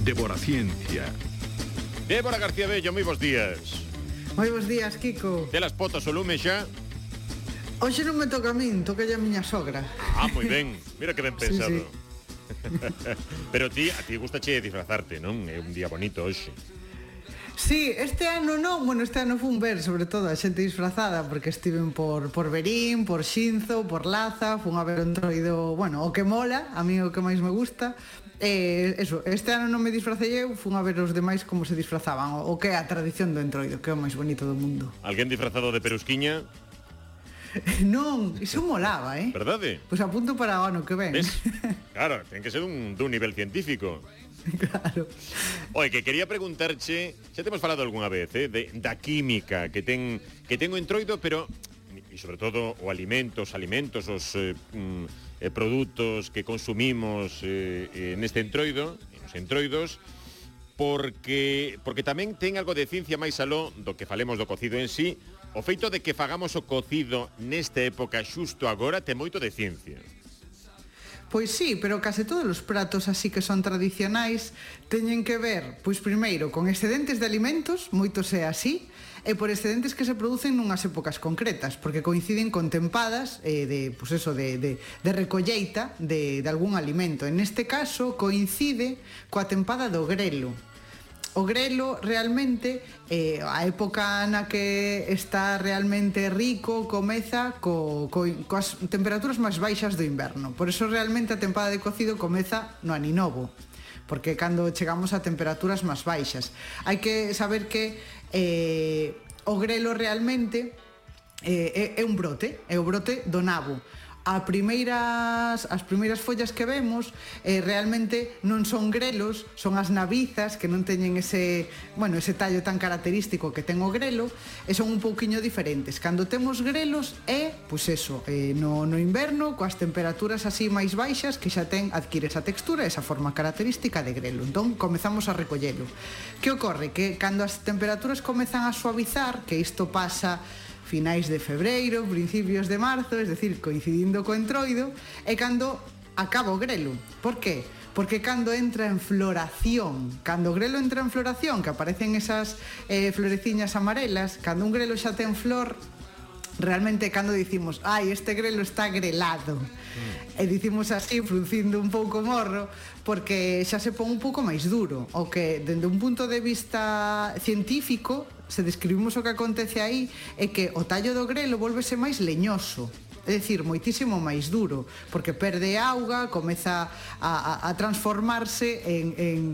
Débora Ciencia. Débora García Bello, moi bons días. Moi bons días, Kiko. Telas potas o lume xa? Hoxe non me toca a min, toca a miña sogra. Moi ben, mira que ben pensado. Sí. Pero a ti gustache disfrazarte, non? É un día bonito hoxe. Sí, este ano non, este ano fun ver sobre todo a xente disfrazada porque estiven por Verín, por Xinzo, por Laza, fun a ver o Entroido, o que mola, a mí o que máis me gusta. Este ano non me disfracei eu, fun a ver os demais como se disfrazaban, o que é a tradición do Entroido, que é o máis bonito do mundo. Alguén disfrazado de perusquiña? Non, iso molaba, Verdade? Pois apunto para o ano que ven. ¿Ves? Claro, ten que ser dun nivel científico. Claro. Oi, que quería preguntarche, xa temos falado algunha vez, da química que ten o Entroido, pero e sobre todo os alimentos, os produtos que consumimos neste Entroido, nos Entroidos, porque tamén ten algo de ciencia máis aló do que falemos do cocido en sí. O feito de que fagamos o cocido nesta época xusto agora ten moito de ciencia. Pois sí, pero case todos os pratos así que son tradicionais teñen que ver, pois primeiro, con excedentes de alimentos, moitos é así, e por excedentes que se producen nunhas épocas concretas, porque coinciden con tempadas de recolleita de algún alimento. En este caso coincide coa tempada do grelo. O grelo realmente, a época na que está realmente rico, comeza coas temperaturas máis baixas do inverno. Por eso realmente a tempada de cocido comeza no aninovo, porque cando chegamos a temperaturas máis baixas. Hai que saber que o grelo realmente é un brote, é o brote do nabo. As primeiras follas que vemos realmente non son grelos, son as nabizas que non teñen ese tallo tan característico que ten o grelo e son un pouquiño diferentes. Cando temos grelos no inverno coas temperaturas así máis baixas que xa adquire esa textura, esa forma característica de grelo. Entón comezamos a recollelo. Que ocorre? Que cando as temperaturas comezan a suavizar, que isto pasa finais de febreiro, principios de marzo, es decir, coincidindo co Entroido, é cando acaba o grelo. Por qué? Porque cando entra en floración, cando o grelo entra en floración, que aparecen esas floreciñas amarelas, cando un grelo xa ten flor, realmente cando dicimos, este grelo está grelado, e dicimos así, fruncindo un pouco o morro, porque xa se pon un pouco máis duro, o que, dende un punto de vista científico, se describimos o que acontece aí, é que o tallo do grelo volvese máis leñoso, é dicir, moitísimo máis duro, porque perde auga, comeza a transformarse en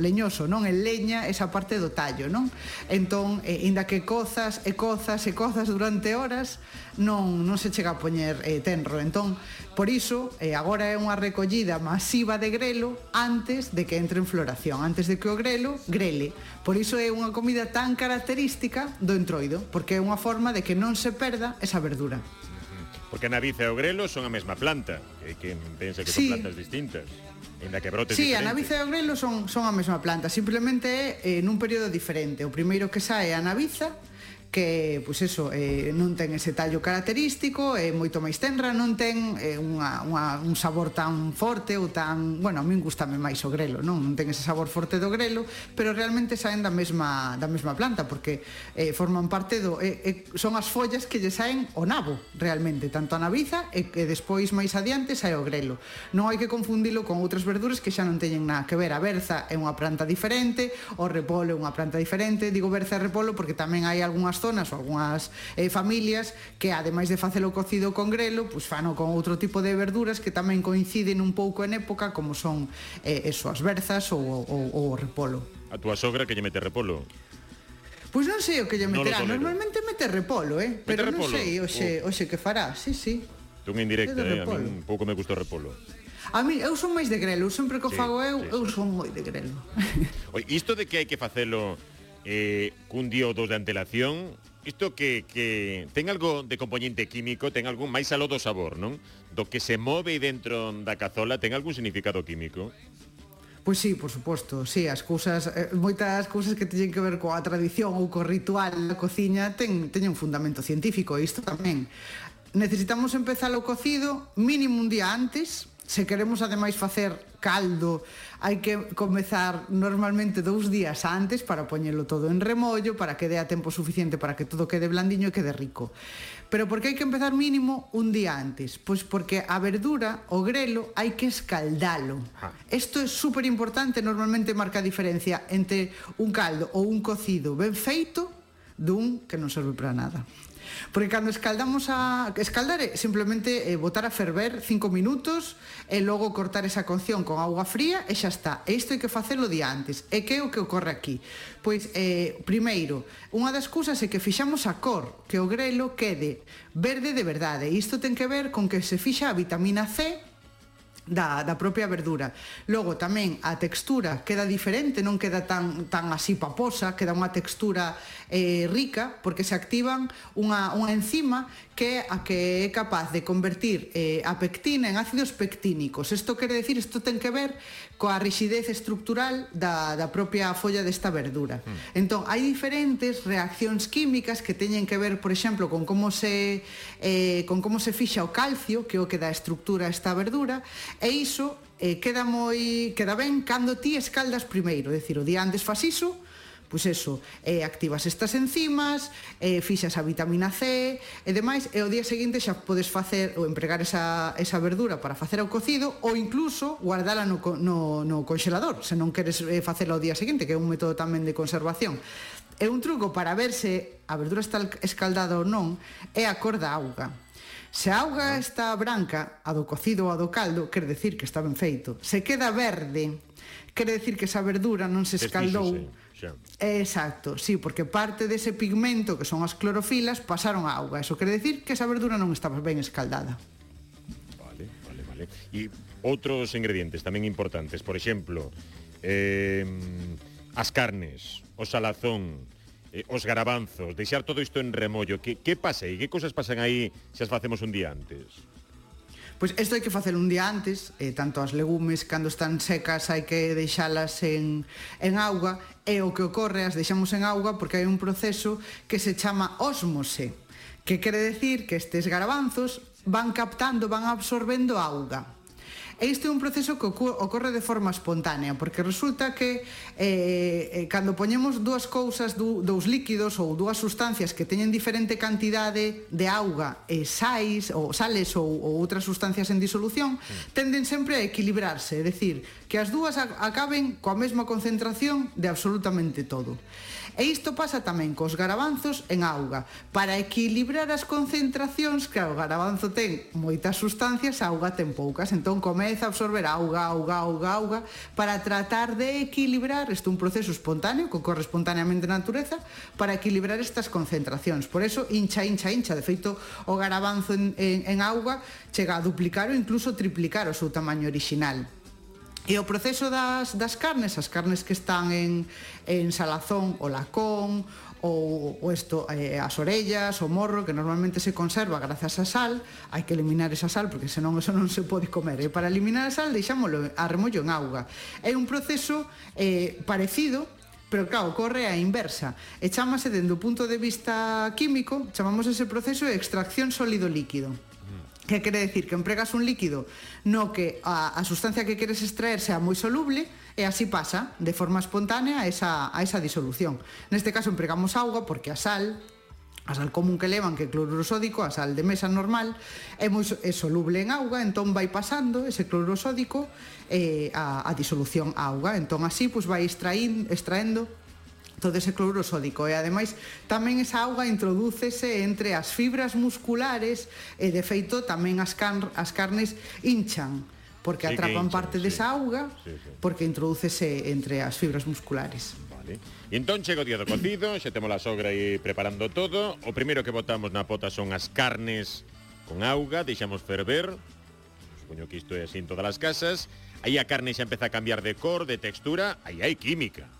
leñoso, non? En leña esa parte do tallo, non? Entón, inda que cozas durante horas, non se chega a poñer tenro. Entón, por iso, agora é unha recollida masiva de grelo antes de que entre en floración, antes de que o grelo grele. Por iso é unha comida tan característica do Entroido, porque é unha forma de que non se perda esa verdura. Porque a naviza e o grelo son a mesma planta, que pensa que son plantas distintas, ainda que brotes diferentes. Sí, a naviza e o grelo son a mesma planta, simplemente é nun período diferente. O primeiro que sae é a naviza, que, non ten ese tallo característico, é moito máis tenra, non ten un sabor tan forte ou tan... a min gustame máis o grelo, non ten ese sabor forte do grelo, pero realmente saen da mesma planta, porque forman parte son as follas que lle saen o nabo, realmente, tanto a naviza e que despois máis adiante sae o grelo. Non hai que confundilo con outras verduras que xa non teñen nada que ver. A berza é unha planta diferente, o repolo é unha planta diferente. Digo berza e repolo porque tamén hai algunhas zonas ou algunhas familias que, ademais de facelo cocido con grelo, fano con outro tipo de verduras que tamén coinciden un pouco en época, como son as berzas ou o repolo. A túa sogra que lle mete repolo? Pois non sei o que lle meterá, normalmente mete repolo, pero non sei hoxe que fará. Sí. Tú en indirecta, a mí un pouco me gusta o repolo. A mí, eu son máis de grelo, sempre que o fago eu son moi de grelo. Oi, isto de que hai que facelo cun día ou dos de antelación, isto que ten algo de componente químico, ten algún máis aló do sabor, non? Do que se move dentro da cazola, ten algún significado químico? Pois sí, por suposto, sí, moitas cousas que teñen que ver coa tradición ou co ritual da cociña teñen un fundamento científico, e isto tamén. Necesitamos empezar o cocido mínimo un día antes, Se queremos ademais facer caldo, hai que comezar normalmente 2 días antes para poñelo todo en remollo, para que dea tempo suficiente para que todo quede blandiño e quede rico. Pero por que hai que empezar mínimo un día antes? Pois porque a verdura, o grelo, hai que escaldalo. Isto é super importante, normalmente marca a diferencia entre un caldo ou un cocido ben feito dun que non serve para nada. Porque cando escaldamos escaldar é simplemente botar a ferver 5 minutos e logo cortar esa cocción con auga fría e xa está. E isto hai que facelo día antes. E que é o que ocorre aquí? Pois, primeiro, unha das cousas é que fixamos a cor, que o grelo quede verde de verdade. E isto ten que ver con que se fixa a vitamina C da propia verdura. Logo tamén a textura queda diferente, non queda tan así paposa, queda unha textura rica, porque se activan unha enzima que é a que é capaz de convertir a pectina en ácidos pectínicos. Isto quere decir, isto ten que ver coa rixidez estructural da propia folla desta verdura. Entón, hai diferentes reaccións químicas que teñen que ver, por exemplo, con como se fixa o calcio, que é o que dá estructura a esta verdura, e iso queda ben cando ti escaldas primeiro, é dicir, o día antes fas iso, pois eso, activas estas enzimas, fixas a vitamina C e demais, e o día seguinte xa podes facer ou empregar esa verdura para facer o cocido ou incluso guardala no conxelador, se non queres facela o día seguinte, que é un método tamén de conservación. E un truco para ver se a verdura está escaldada ou non é a cor da auga. Se a auga está branca, a do cocido ou a do caldo, quere decir que está ben feito. Se queda verde, quere decir que esa verdura non se escaldou. Exacto, sí, porque parte dese pigmento que son as clorofilas pasaron a auga. Eso quere decir que esa verdura non estaba ben escaldada. Vale. E outros ingredientes tamén importantes, por exemplo, as carnes, o salazón, os garabanzos, deixar todo isto en remollo. Que pasa aí? Que cosas pasan aí se as facemos un día antes? Pois isto hai que facer un día antes, tanto as legumes cando están secas hai que deixalas en auga, e o que ocorre as deixamos en auga porque hai un proceso que se chama ósmose, que quere decir que estes garabanzos van captando, van absorbendo auga. E isto é un proceso que ocorre de forma espontánea, porque resulta que cando poñemos dúas cousas, dous líquidos ou dúas sustancias que teñen diferente cantidade de auga e sales ou outras sustancias en disolución, tenden sempre a equilibrarse, é dicir, que as dúas acaben coa mesma concentración de absolutamente todo. E isto pasa tamén cos garabanzos en auga. Para equilibrar as concentracións, claro, o garabanzo ten moitas sustancias, a auga ten poucas, entón comeza a absorber auga, para tratar de equilibrar, isto é un proceso espontáneo, que ocorre espontáneamente na natureza, para equilibrar estas concentracións. Por eso, hincha. De feito, o garabanzo en auga chega a duplicar ou incluso triplicar o seu tamaño orixinal. E o proceso das carnes, as carnes que están en salazón, o lacón, ou as orellas, o morro, que normalmente se conserva grazas a sal, hai que eliminar esa sal, porque senón eso non se pode comer. E para eliminar a sal, deixámoslo a remollo en auga. É un proceso parecido, pero claro, ocorre a inversa. E chámase, dende o punto de vista químico, chamamos ese proceso de extracción sólido-líquido. Que quere decir que empregas un líquido no que a sustancia que queres extraer sea moi soluble e así pasa de forma espontánea a esa disolución. Neste caso empregamos auga porque a sal común que levan, que é cloruro sódico, a sal de mesa normal, é soluble en auga, entón vai pasando ese cloruro sódico a disolución a auga. Entón así vai extraendo todo ese cloruro sódico, e ademais tamén esa auga introdúcese entre as fibras musculares e de feito tamén as carnes hinchan porque atrapan parte desa auga porque introdúcese entre as fibras musculares. Vale. E entón chega o día do cocido, xa temos a sogra aí preparando todo. O primeiro que botamos na pota son as carnes con auga, deixamos ferver. Supoño que isto é así en todas as casas. Aí a carne xa empeza a cambiar de cor, de textura, aí hai química.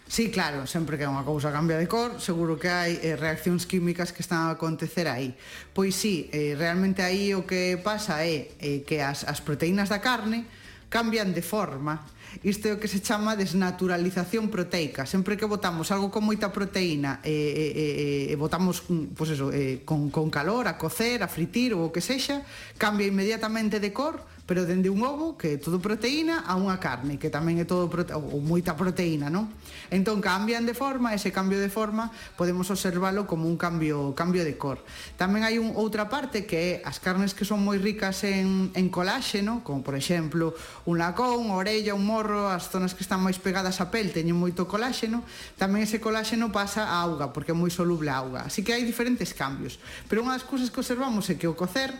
Sí, claro, sempre que unha cousa cambia de cor, seguro que hai reaccións químicas que están a acontecer aí. Pois sí, realmente aí o que pasa é que as proteínas da carne cambian de forma Isto é o que se chama desnaturalización proteica. Sempre que botamos algo con moita proteína e botamos pues eso, con calor, a cocer, a fritir ou o que sexa, cambia inmediatamente de cor, pero dende un ovo, que é todo proteína, a unha carne, que tamén é todo ou moita proteína, non? Entón cambian de forma, ese cambio de forma podemos observalo como un cambio de cor. Tamén hai outra parte que é as carnes que son moi ricas en coláxeno, como por exemplo un lacón, a orella, un morro, as zonas que están máis pegadas á pel teñen moito coláxeno, tamén ese coláxeno pasa á auga, porque é moi soluble a auga. Así que hai diferentes cambios. Pero unha das cousas que observamos é que o cocer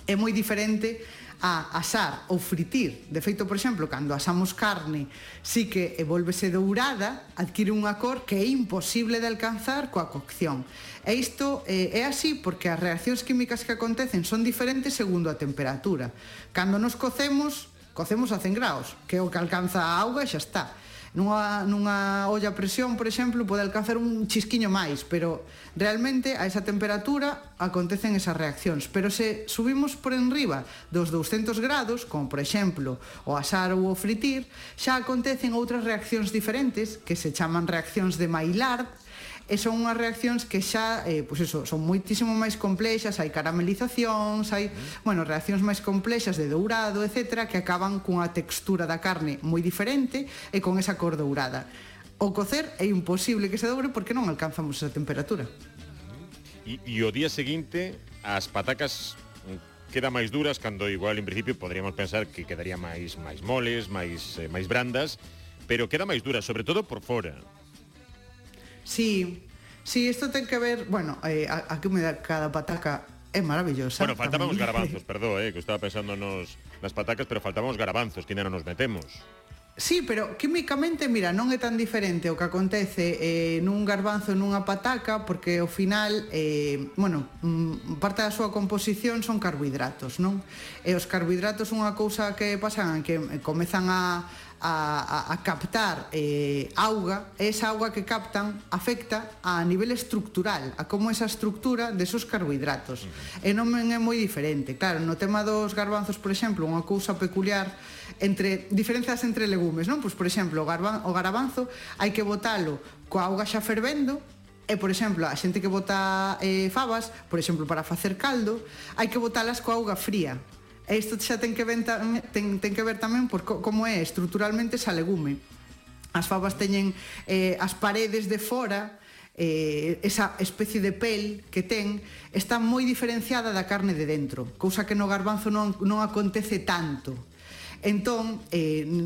é moi diferente a asar ou fritir. De feito, por exemplo, cando asamos carne, sí que volvese dourada, adquire unha cor que é imposible de alcanzar coa cocción. E isto é así porque as reaccións químicas que acontecen son diferentes segundo a temperatura. Cando nos cocemos a 100 graus, que é o que alcanza a auga e xa está. Nunha olla a presión, por exemplo, pode alcanzar un chisquiño máis, pero realmente a esa temperatura acontecen esas reaccións. Pero se subimos por enriba dos 200 grados, como por exemplo o asar ou o fritir, xa acontecen outras reaccións diferentes que se chaman reaccións de Maillard, e son unhas reaccións que xa pues eso, son moitísimo máis complexas, hai caramelizacións, hai, reaccións máis complexas de dourado, etcétera, que acaban cunha textura da carne moi diferente e con esa cor dourada. O cocer é imposible que se doure porque non alcanzamos esa temperatura. E o día seguinte as patacas quedan máis duras, cando igual en principio poderíamos pensar que quedaría máis moles, máis brandas, pero queda máis dura, sobre todo por fora. Sí, isto ten que ver, a que me dá cada pataca é maravillosa. Bueno, faltaban os garabanzos, perdón, que estaba pensando nas patacas, pero faltaban os garabanzos, que ainda non nos metemos. Sí, pero químicamente, mira, non é tan diferente o que acontece nun garbanzo e nunha pataca, porque ao final, parte da súa composición son carbohidratos, non? E os carbohidratos son unha cousa que pasan, que comezan a captar auga, e esa auga que captan afecta a nivel estructural, a como esa estructura desos carbohidratos. E non é moi diferente. Claro, no tema dos garbanzos, por exemplo, unha cousa peculiar entre diferenzas entre legumes, non? Pois, por exemplo, o garabanzo hai que botalo coa auga xa fervendo, e, por exemplo, a xente que bota fabas, por exemplo, para facer caldo, hai que botalas coa auga fría. E isto xa ten que ver tamén por como é estruturalmente esa legume. As fabas teñen as paredes de fora, esa especie de pel que ten, está moi diferenciada da carne de dentro, cousa que no garbanzo non acontece tanto. Entón,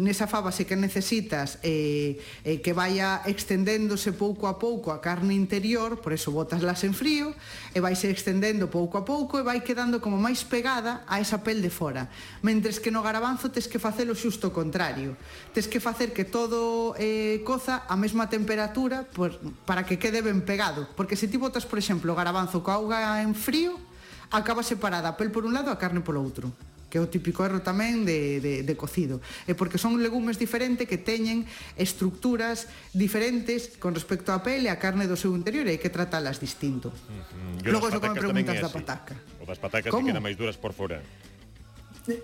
nesa faba sí que necesitas que vaya extendéndose pouco a pouco a carne interior, por eso botaslas en frío, e vaise extendendo pouco a pouco e vai quedando como máis pegada a esa pel de fora. Mentres que no garabanzo tes que facelo xusto o contrario. Tes que facer que todo coza a mesma temperatura para que quede ben pegado. Porque se ti botas, por exemplo, o garabanzo coa auga en frío, acaba separada a pel por un lado e a carne polo outro, que é o típico erro tamén de cocido. É porque son legumes diferentes que teñen estructuras diferentes con respecto á pele e a carne do seu interior, e hai que tratalas distinto. Logo iso que me preguntas da pataca. O das patacas que quedan máis duras por fora.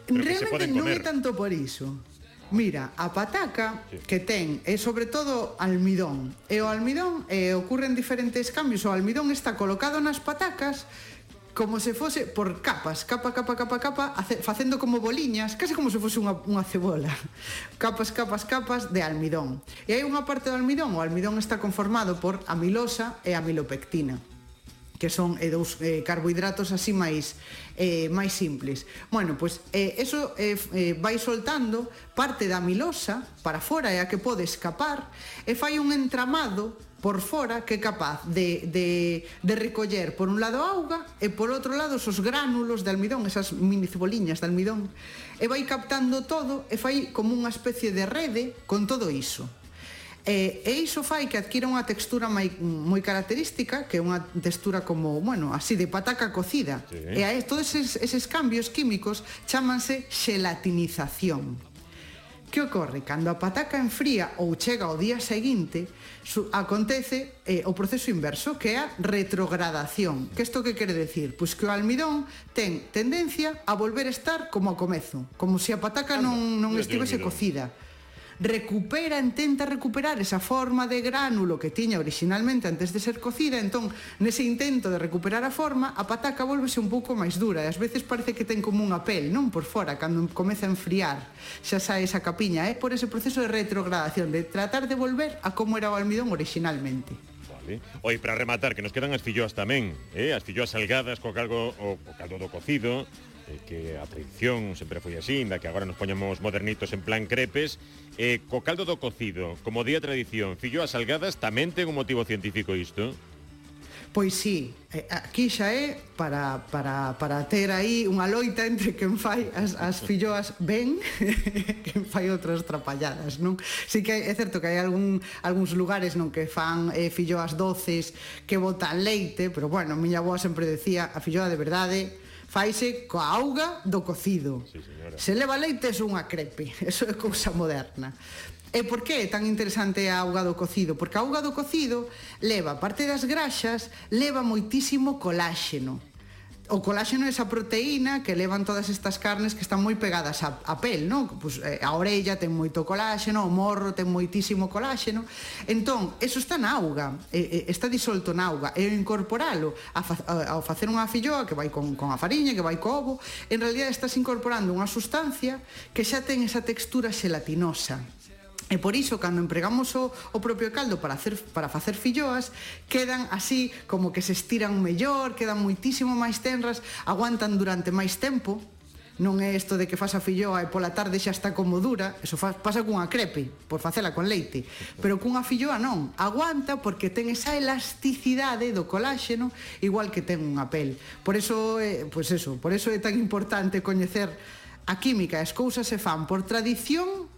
Realmente non é tanto por iso. Mira, a pataca que ten é sobre todo almidón. E o almidón ocurren diferentes cambios. O almidón está colocado nas patacas como se fose por capas, capa, facendo como boliñas, case como se fose unha cebola. Capas de almidón. E hai unha parte do almidón, o almidón está conformado por amilosa e amilopectina, que son dous carbohidratos así máis simples. Bueno, pois eso vai soltando parte da amilosa para fora, é a que pode escapar, e fai un entramado por fora que é capaz de recoller por un lado a auga e por outro lado esos gránulos de almidón, esas mini ceboliñas de almidón, e vai captando todo e fai como unha especie de rede con todo iso. E iso fai que adquira unha textura moi característica, que é unha textura como, así de pataca cocida. Sí. E todos eses cambios químicos chámanse xelatinización. Que ocorre? Cando a pataca enfría ou chega ao día seguinte, acontece o proceso inverso, que é a retrogradación. Que isto que quere decir? Pois que o almidón ten tendencia a volver a estar como ao comezo, como se a pataca non estivese cocida. intenta recuperar esa forma de gránulo que tiña originalmente antes de ser cocida. Entón, nese intento de recuperar a forma, a pataca volvese un pouco máis dura, e ás veces parece que ten como unha pel, non, por fora, cando comeza a enfriar, xa sae esa capiña, por ese proceso de retrogradación, de tratar de volver a como era o almidón originalmente. Vale. Oi, para rematar, que nos quedan as filloas tamén, as filloas salgadas co caldo do cocido, que a tradición sempre foi así, inda que agora nos poñamos modernitos en plan crepes, co caldo do cocido, como di a tradición, filloas salgadas, tamén ten un motivo científico isto? Pois sí, aquí xa é para ter aí unha loita entre quen fai as filloas ben e quen fai outras trapalladas, non? Si que é certo que hai algúns lugares non que fan filloas doces que botan leite, pero bueno, miña avó sempre decía, a filloa de verdade faise coa auga do cocido. Sí, señora. Se leva leite é unha crepe, eso é cousa moderna. E por que é tan interesante a auga do cocido? Porque a auga do cocido leva, parte das graxas, leva moitísimo coláxeno. O coláxeno é esa proteína que levan todas estas carnes que están moi pegadas á pel, non? Pues, a orella ten moito coláxeno, o morro ten moitísimo coláxeno. Entón, eso está na auga, está disolto na auga. E incorporalo ao facer unha filloa que vai con a fariña, que vai co ovo, en realidad estás incorporando unha sustancia que xa ten esa textura xelatinosa. E por iso, cando empregamos o propio caldo para facer filloas, quedan así como que se estiran mellor, quedan moitísimo máis tenras, aguantan durante máis tempo. Non é isto de que fas a filloa e pola tarde xa está como dura, eso pasa cunha crepe, por facela con leite. Pero cunha filloa non, aguanta porque ten esa elasticidade do coláxeno, igual que ten unha pel. Por eso é tan importante coñecer a química. As cousas se fan por tradición,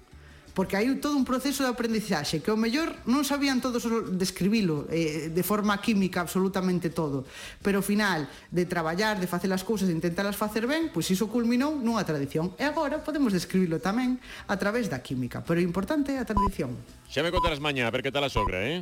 porque hai todo un proceso de aprendizaxe que ao mellor non sabían todos describilo de forma química absolutamente todo, pero ao final de traballar, de facer as cousas, de intentarlas facer ben, pois iso culminou nunha tradición, e agora podemos describilo tamén a través da química, pero o importante é a tradición. Xa me contarás mañá a ver que tal a sogra,